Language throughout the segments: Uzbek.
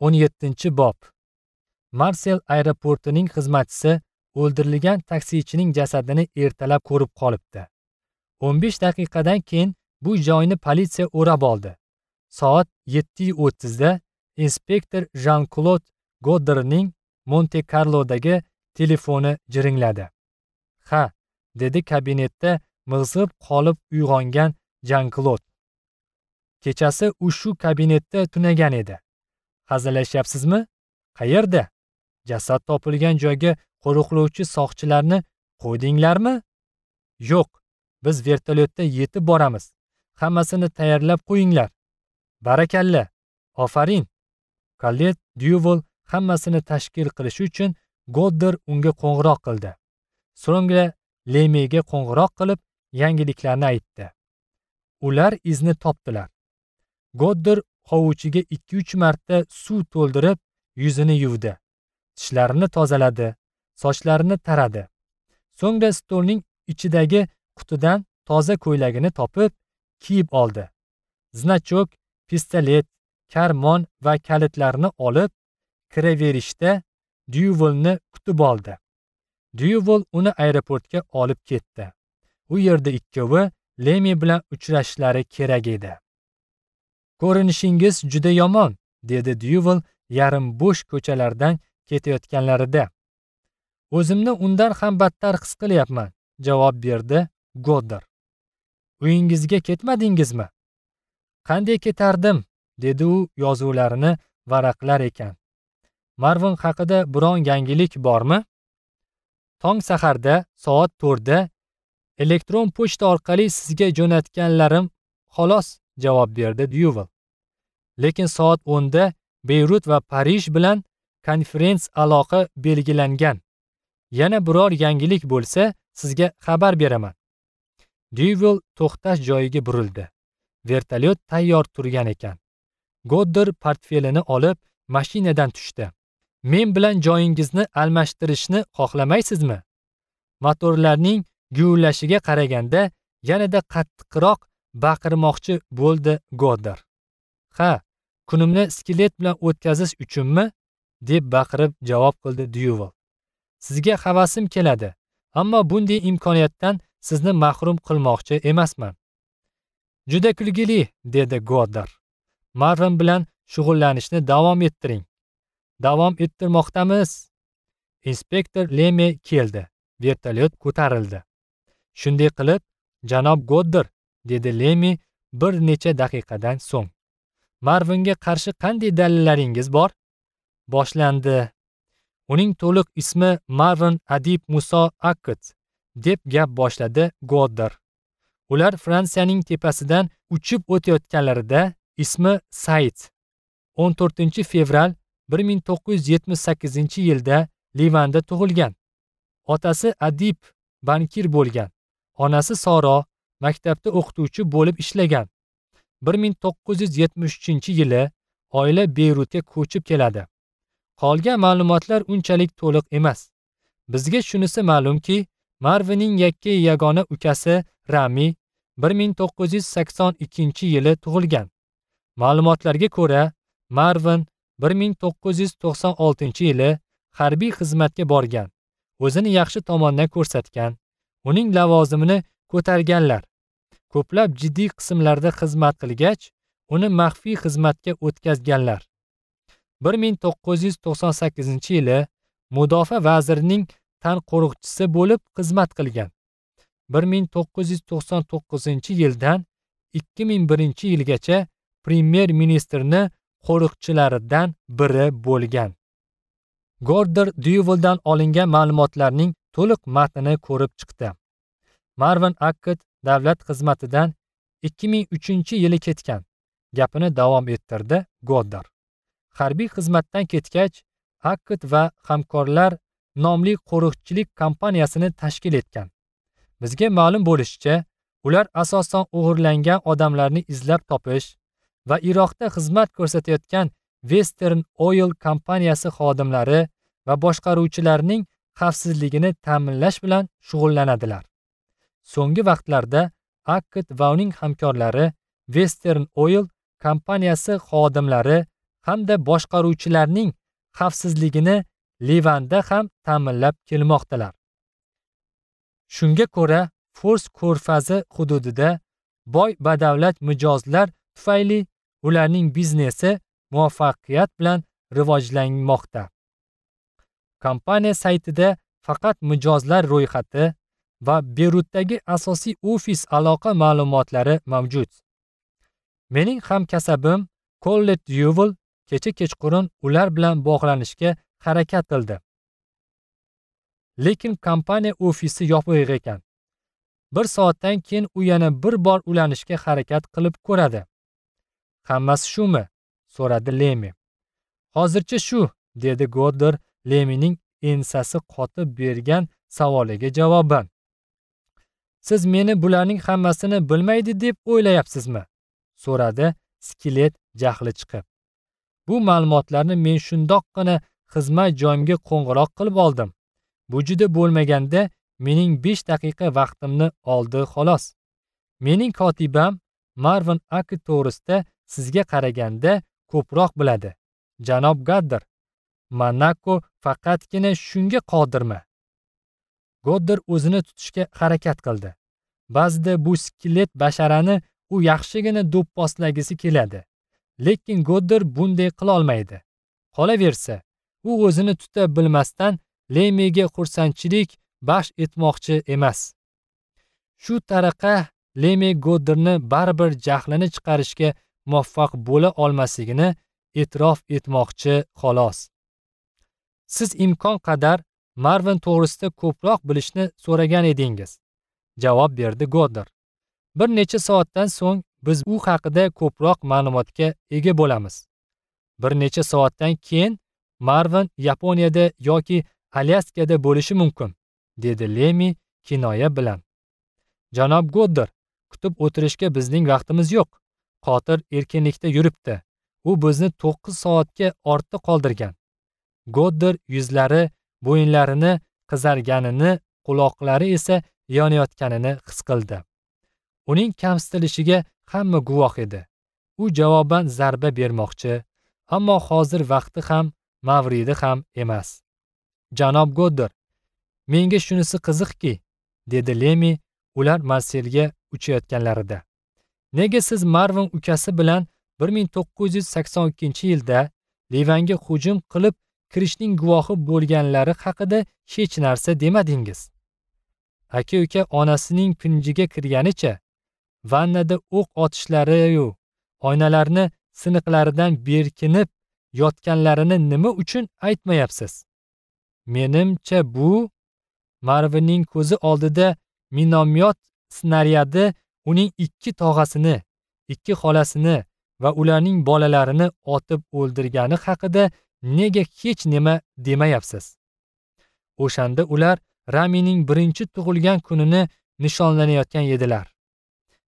17-bob. Marsel aeroportining xizmatchisi o'ldirilgan taksichining jasadini ertalab ko'rib qolibdi. 15 daqiqadan keyin bu joyni politsiya o'rab oldi. Soat 7:30 da inspektor Jean-Claude Godderning Monte-Carlodagi telefoni jiringladi. "Ha", dedi kabinetda mig'zib qolib uyg'ongan Jean-Claude. Kechasi u shu kabinetda tunagan edi. "Hazillashyapsizmi? Qayerda? Jasad topilgan joyga qo'riqlovchi soqchilarni qo'ydinglarmi?" "Yo'q, biz vertolyotda yetib boramiz. Hammasini tayyorlab qo'yinglar." "Barakalla, ofarin." Colette Duval hammasini tashkil qilish uchun Godder unga qo'ng'iroq qildi. So'ngra Lemega qo'ng'iroq qilib, yangiliklarni aytdi. Ular izni topdilar. Godder hovuchiga 2-3 marta suv to'ldirib, yuzini yuvdi. Tishlarini tozaladi, sochlarini taradi. So'ngra stolning ichidagi qutidan toza ko'ylagini topib, kiyib oldi. Znachok, pistolet, karmon va kalitlarni olib, kiraverishda Duvalni kutib oldi. Duval uni aeroportga olib ketdi. U yerda ikkovi Lemi bilan uchrashishlari kerak edi. "Ko'rinishingiz juda yomon", dedi Duval yarim bo'sh ko'chalardan ketayotganlarida. "O'zimni undan ham battar his qilyapman", javob berdi Godder. "Uyingizga ketmadingizmi?" "Qanday ketardim?" dedi u yozuvlarini varaqlar ekan. "Marvin haqida biron yangilik bormi?" "Tong saharda soat 4 da elektron pochta orqali sizga jo'natganlarim xolos", javob berdi Duval. "Lekin soat 10 da Beyrut va Parij bilan konferens aloqa belgilangan. Yana biror yangilik bo'lsa, sizga xabar beraman." Duval to'xtash joyiga burildi. Vertolyot tayyor turgan ekan. Godder portfelini olib, mashinadan tushdi. "Men bilan joyingizni almashtirishni xohlamaysizmi?" Motorlarning guvillashiga qaraganda yanada qattiqroq baqirmoqchi bo'ldi Godder. "Ha, kunimni skelet bilan o'tkazish uchunmi?" deb baqirib javob qildi Duval. "Sizga havasim keladi, ammo bunday imkoniyatdan sizni mahrum qilmoqchi emasman." "Juda kulgili", dedi Godder. "Marvin bilan shug'ullanishni davom ettiring." "Davom ettirmoqdamiz." Inspektor Leme keldi. Vertolyot ko'tarildi. "Shunday qilib, janob Godder", dedi Leme bir necha daqiqadan so'ng. "Marvinga qarshi qanday dalillaringiz bor?" Boshlandi. "Uning to'liq ismi Marvin Adib Muso Akkad", deb gap boshladi Godder. Ular Fransiyaning tepasidan uchib o'tayotganlarida ismi Said. 14 fevral 1978-yilda Livanda tug'ilgan. Otasi Adib bankir bo'lgan. Onasi Soro maktabda o'qituvchi bo'lib ishlagan. 1973-yili oila Beyrutga ko'chib keladi. Qolgan ma'lumotlar unchalik to'liq emas. Bizga shunisi ma'lumki, Marvinning yakka yagona ukasi Rami 1982-yili tug'ilgan. Ma'lumotlarga ko'ra, Marvin 1996-yili harbiy xizmatga borgan. O'zini yaxshi tomondan ko'rsatgan. Uning lavozimini ko'targanlar. Ko'plab jiddiy qismlarda xizmat qilgach, uni maxfiy xizmatga o'tkazganlar. 1998-yili mudofaa vazirining tanqo'riqchisi bo'lib xizmat qilgan. 1999-yildan 2001-yilgacha premyer-ministrni qo'riqchilaridan biri bo'lgan. Godder Duvaldan olingan ma'lumotlarning to'liq matnini ko'rib chiqdi. Marvin Akkad davlat xizmatidan 2003-yili ketgan. Gapini davom ettirdi Godder. Harbiy xizmatdan ketgach, Akkad va hamkorlar nomli qo'riqchilik kompaniyasini tashkil etgan. Bizga ma'lum bo'lishicha, ular asosan o'g'irlangan odamlarni izlab topish va Iroqda xizmat ko'rsatayotgan Western Oil kompaniyasi xodimlari va boshqaruvchilarining xavfsizligini ta'minlash bilan shug'ullanadilar. So'nggi vaqtlarda Akkad va uning hamkorlari Western Oil kompaniyasi xodimlari hamda boshqaruvchilarning xavfsizligini Livanda ham ta'minlab kelmoqdalar. Shunga ko'ra, Fors ko'rfazi hududida boy badavlat mijozlar tufayli ularning biznesi muvaffaqiyat bilan rivojlanmoqda. Kompaniya saytida faqat mijozlar ro'yxati va Beyrutdagi asosiy ofis aloqa ma'lumotlari mavjud. Mening hamkasabim Collet Duval kecha kechqurun ular bilan bog'lanishga harakat qildi. Lekin kompaniya ofisi yopiq ekan. Bir soatdan keyin u yana bir bor ulanishga harakat qilib ko'radi. Hammasi shumi? So'radi Lemi. Hozircha shu, dedi Goddard Lemining ensasi qotib bergan savoliga javoban. Siz meni bularning hammasini bilmaydi deb o'ylayapsizmi? So'radi skelet jahli chiqib. Bu ma'lumotlarni men shundoqqina xizmat joyimga qo'ng'iroq qilib oldim. Bu juda bo'lmaganda mening 5 daqiqa vaqtimni oldi xolos. Mening kotibam Marvin aka to'g'risida sizga qaraganda ko'proq biladi. Janob Goddard, Monaco faqatgina shunga qodirmi? Goddard o'zini tutishga harakat qildi. Ba'zida bu skelet basharani u yaxshigina do'pposlagisi keladi. Lekin Goddard bunday qila olmaydi. Qolaversa, u o'zini tuta bilmasdan Lemiga xursandchilik baxsh etmoqchi emas. Shu tariqa Lemi Goddardni baribir jahlini chiqarishga muvaffaq bo'la olmasligini e'tirof etmoqchi xolos. Siz imkon qadar Marvin to'g'risida ko'proq bilishni so'ragan edingiz, javob berdi Goddard. Bir necha soatdan so'ng biz u haqida ko'proq ma'lumotga ega bo'lamiz. Bir necha soatdan keyin Marvin Yaponiyada yoki Alyaskada bo'lishi mumkin, dedi Lemi kinoya bilan. Janob Goddard, kutib o'tirishga bizning vaqtimiz yo'q. Qotil erkinlikda yuribdi. U bizni 9 soatga ortda qoldirgan. Goddard yuzlari, bo'yinlarini qizarganini, quloqlari esa yonayotganini his qildi. Uning kamsitilishiga hamma guvoh edi. U javoban zarba bermoqchi, ammo hozir vaqti ham, mavridi ham emas. Janob Goddard, menga shunisi qiziqki, dedi Lemi ular Marselga uchayotganlarida. Nega siz Marvin ukasi bilan 1982-yilda Livanga hujum qilib kirishning guvohi bo'lganlari haqida hech narsa demadingiz? Aka-uka onasining pinjiga kirganicha vannada o'q otishlari-yu oynalarni siniqlaridan berkinib yotganlarini nima uchun aytmayapsiz? Menimcha bu Marvinning ko'zi oldida minomyot snaryadi uning 2 tog'asini, 2 xolasini va ularning bolalarini otib o'ldirgani haqida nega hech nima demayapsiz? O'shanda ular Ramining birinchi tug'ilgan kunini nishonlanayotgan edilar.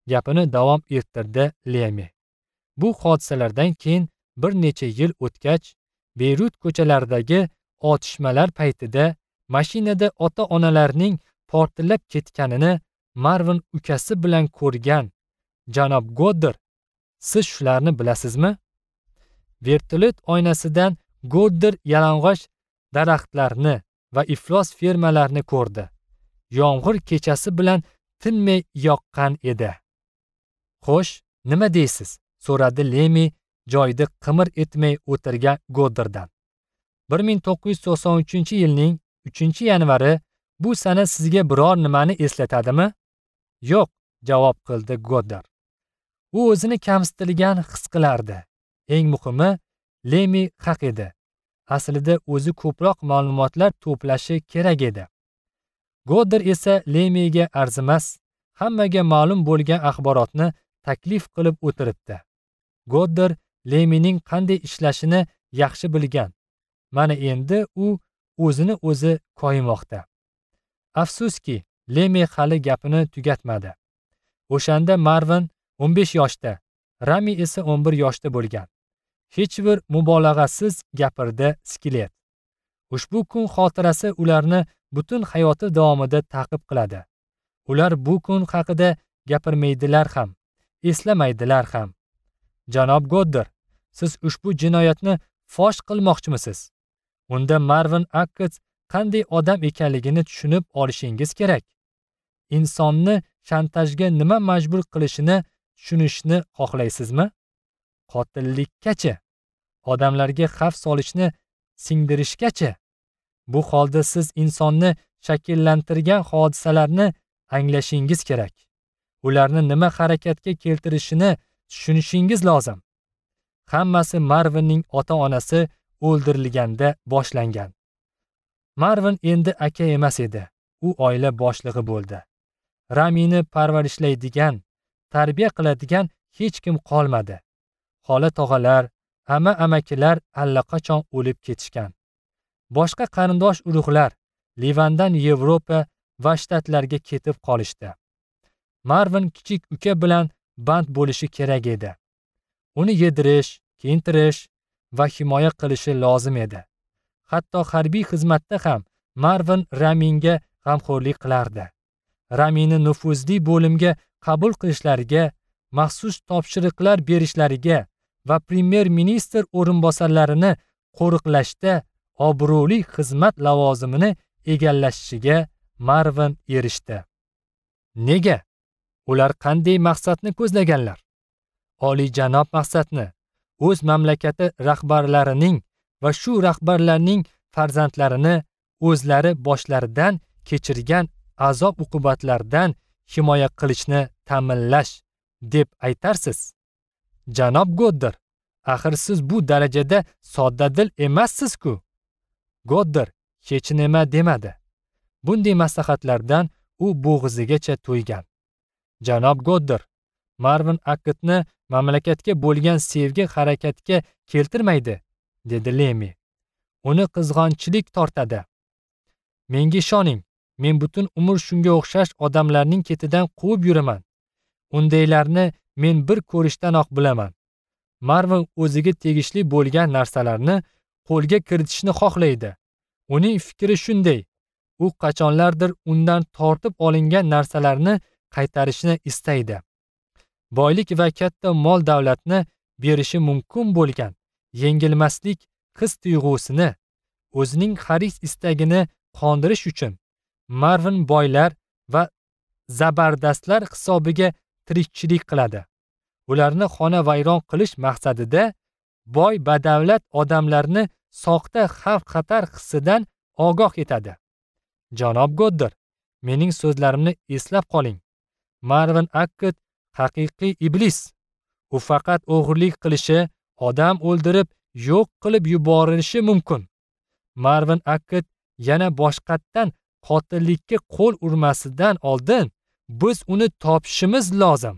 Gapini davom ettirdi Lemi. Bu hodisalardan keyin bir necha yil o'tgach, Beyrut ko'chalaridagi otishmalar paytida mashinada ota-onalarning portlab ketganini Marvin ukasi bilan ko'rgan. Janob Goddard, siz shularni bilasizmi? Vertolyot oynasidan Goddard yalang'och daraxtlarni va iflos fermalarni ko'rdi. Yomg'ir kechasi bilan tinmay yoqqan edi. Xo'sh, nima deysiz? So'radi Lemi joyida qimir etmay o'tirgan Goddarddan. 1993-yilning 3-yanvari bu sana sizga biror nimani eslatadimi? Yo'q, javob qildi Goddard. U o'zini kamsitilgan his qilardi. Eng muhimi, Lemi haq edi. Aslida o'zi ko'proq ma'lumotlar to'plashi kerak edi. Goddard esa Lemiga arzimas, hammaga ma'lum bo'lgan axborotni taklif qilib o'tiribdi. Goddard Lemining qanday ishlashini yaxshi bilgan. Mana endi u o'zini o'zi koyimoqda. Afsuski, Lemi hali gapini tugatmadi. O'shanda Marvin 15 yoshda, Rami esa 11 yoshda bo'lgan. Hech bir mubolag'asiz gapirdi skelet. Ushbu kun xotirasi ularni butun hayoti davomida ta'qib qiladi. Ular bu kun haqida gapirmaydilar ham, eslamaydilar ham. Janob Goddard, Siz ushbu jinoyatni fosh qilmoqchimisiz? Unda Marvin Akkett qanday odam ekanligini tushunib olishingiz kerak. Insonni shantajga nima majbur qilishini tushunishni xohlaysizmi? Qotillikkacha, odamlarga xavf solishni singdirishgacha. Bu holda siz insonni shakllantirgan hodisalarni anglashingiz kerak. Ularni nima harakatga keltirishini tushunishingiz lozim. Hammasi Marvinning ota-onasi o'ldirilganda boshlangan. Marvin endi aka emas edi. U oila boshlig'i bo'ldi. Ramini parvarishlaydigan, tarbiya qiladigan hech kim qolmadi. Xola tog'alar, amma-amakilar allaqachon o'lib ketishgan. Boshqa qarindosh urug'lar Livandan Yevropa va shtatlarga ketib qolishdi. Marvin kichik uka bilan band bo'lishi kerak edi. Uni yedirish, kiyintirish va himoya qilishi lozim edi. Hatto harbiy xizmatda ham Marvin Raminga g'amxo'rlik qilardi. Ramini nufuzli bo'limga qabul qilishlariga, maxsus topshiriqlar berishlariga va premyer-ministr o'rinbosarlarini qo'riqlashda obro'li xizmat lavozimini egallashiga Marvin erishdi. Nega? Ular qanday maqsadni ko'zlaganlar? Oliyjanob maqsadni o'z mamlakati rahbarlarining va shu rahbarlarning farzandlarini o'zlari boshlaridan kechirgan azob uqubatlardan himoya qilishni ta'minlash deb aytarsiz. Janob Godder, axir siz bu darajada soddadil emassiz-ku. Godder hech nima demadi. Bunday maslahatlardan u bo'g'izigacha to'ygan. Janob Godder, Marvin Akkettni mamlakatga bo'lgan sevgi harakatga keltirmaydi, dedi Lemi. Uni qizg'onchilik tortadi. Menga ishoning, men butun umr shunga o'xshash odamlarning ketidan quvib yuraman. Undaylarni men bir ko'rishdanoq bilaman. Marvin o'ziga tegishli bo'lgan narsalarni qo'lga kiritishni xohlaydi. Uning fikri shunday. U qachonlardir undan tortib olingan narsalarni qaytarishni istaydi. Boylik va katta mol davlatni berishi mumkin bo'lgan yengilmaslik his tuyg'usini, o'zining haris istagini qondirish uchun Marvin boylar va zabardastlar hisobiga tirikchilik qiladi. Ularni xona vayron qilish maqsadida boy badavlat odamlarni soxta xavf-xatar hissidan ogoh etadi. Janob Godder, mening so'zlarimni eslab qoling. Marvin Akkett haqiqiy iblis. U faqat o'g'irlik qilishi, odam o'ldirib, yo'q qilib yuborilishi mumkin. Marvin Akkett yana boshqatdan qotillikka qo'l urmasidan oldin biz uni topishimiz lozim.